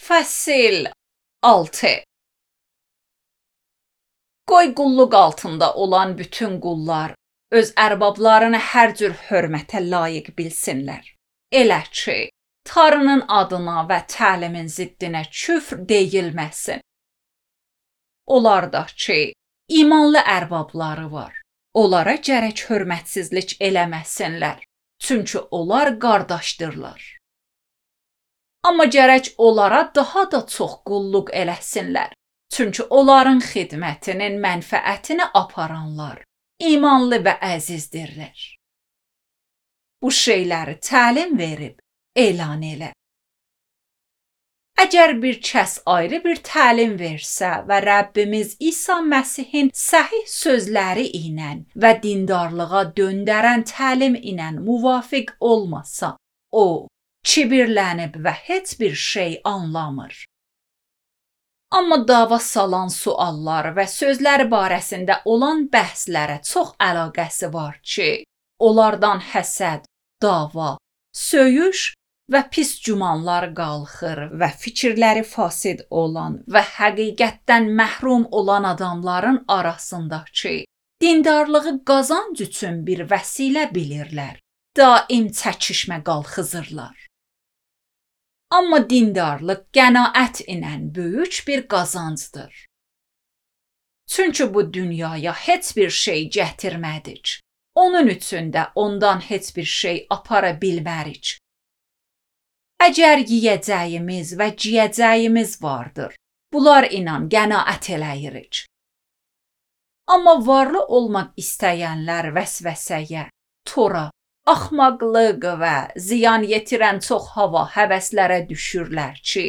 Fəsil 6. Qoy qulluq altında olan bütün qullar öz ərbablarını hər cür hörmətə layiq bilsinlər. Elə ki, Tanrının adına və təlimin ziddinə küfr deyilməsin. Onlar da ki, imanlı ərbabları var. Onlara gərək hörmətsizlik eləməsinlər, çünki onlar qardaşdırlar. Amma gərək onlara daha da çox qulluq eləsinlər, çünki onların xidmətinin mənfəətini aparanlar imanlı və əzizdirlər. Bu şeyləri təlim verib elan elə. Əgər bir kəs ayrı bir təlim versə və Rəbbimiz İsa Məsihin səhih sözləri ilə və dindarlığa döndərən təlim ilə muvafiq olmasa, o kibirlənib və heç bir şey anlamır. Amma dava salan suallar və sözlər barəsində olan bəhslərə çox əlaqəsi var ki, onlardan həsəd, dava, söyüş və pis gümanlar qalxır və fikirləri fasid olan və həqiqətdən məhrum olan adamların arasındakı dindarlığı qazanc üçün bir vəsilə bilirlər. Daim çəkişmə qalxızırlar. Amma dindarlıq qənaət ilə böyük bir qazancdır. Çünki bu dünyaya heç bir şey gətirmədik. Onun üçün də ondan heç bir şey apara bilmərik. Əgər yeyəcəyimiz və giyəcəyimiz vardır, bunlar ilə qənaət eləyirik. Amma varlı olmaq istəyənlər vəsvəsəyə, tora, axmaqlıq və ziyan yetirən çox hava həvəslərə düşürlər ki,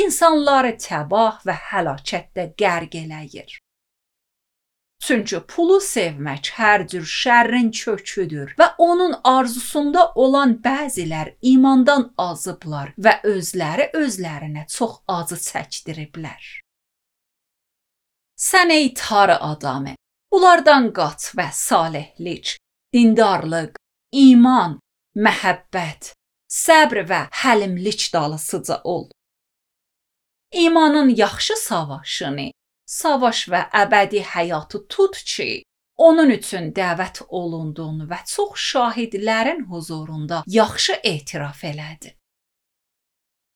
insanları təbah və həlakətdə qərq eləyir. Çünki pulu sevmək hər cür şərrin köküdür və onun arzusunda olan bəzilər imandan azıblar və özlərinə çox acı çəkdiriblər. Sən ey tarı adamı, bunlardan qaç və salihlik, dindarlıq, iman, məhəbbət, səbr və həlimlik dalısıca ol. İmanın yaxşı savaşını, savaş və əbədi həyatı tut ki, onun üçün dəvət olundun və çox şahidlərin huzurunda yaxşı etiraf elədin.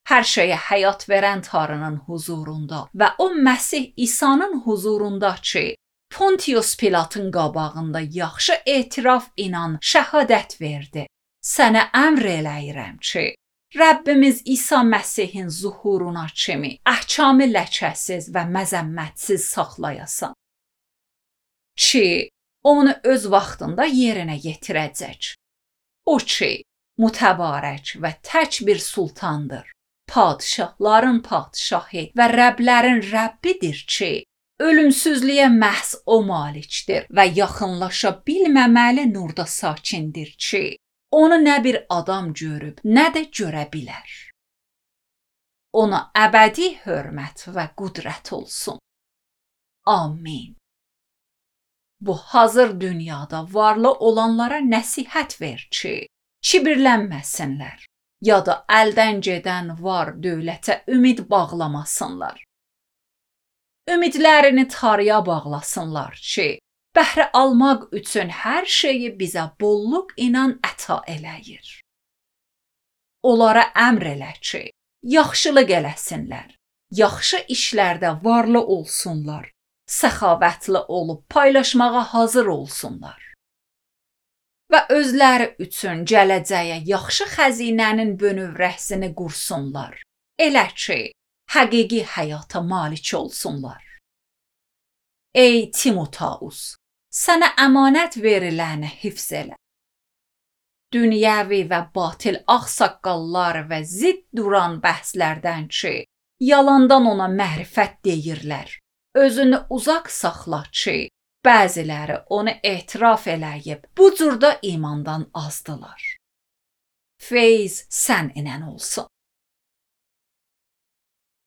Hər şeyə həyat verən Tanrının huzurunda və o Məsih İsa'nın huzurunda ki, Pontius Pilatın qabağında yaxşı etiraf ilə şəhadət verdi. Sənə əmr eləyirəm ki, Rəbbimiz İsa Məsihin zuhuruna kimi əhkamı ləkəsiz və məzəmmətsiz saxlayasan. Ki, onu öz vaxtında yerinə yetirəcək. O ki, mütəbarək və tək bir sultandır. Padişahların padişahı və Rəblərin Rəbbidir ki, ölümsüzlüyə məhz o malikdir və yaxınlaşa bilməməli nurda sakindir ki, onu nə bir adam görüb, nə də görə bilər. Ona əbədi hörmət və qüdrət olsun. Amin. Bu hazır dünyada varlı olanlara nəsihət ver ki, kibirlənməsinlər, ya da əldən gedən var dövlətə ümid bağlamasınlar. Ümidlərini Tanrıya bağlasınlar ki, bəhrə almaq üçün hər şeyi bizə bolluq ilə əta eləyir. Onlara əmr elə ki, yaxşılıq eləsinlər, yaxşı işlərdə varlı olsunlar, səxavətli olub paylaşmağa hazır olsunlar. Və özləri üçün gələcəyə yaxşı xəzinənin bönövrəsini qursunlar, elə ki, həqiqi həyata malik olsunlar. Ey Timoteus, sənə əmanət veriləni hifz elə. Dünyəvi və batil ağsaqqallar və zidd duran bəhslərdən ki, yalandan ona mərifət deyirlər. Özünü uzaq saxla ki, bəziləri onu etiraf eləyib, bu cürdə imandan azdılar. Feyz sən ilə olsun.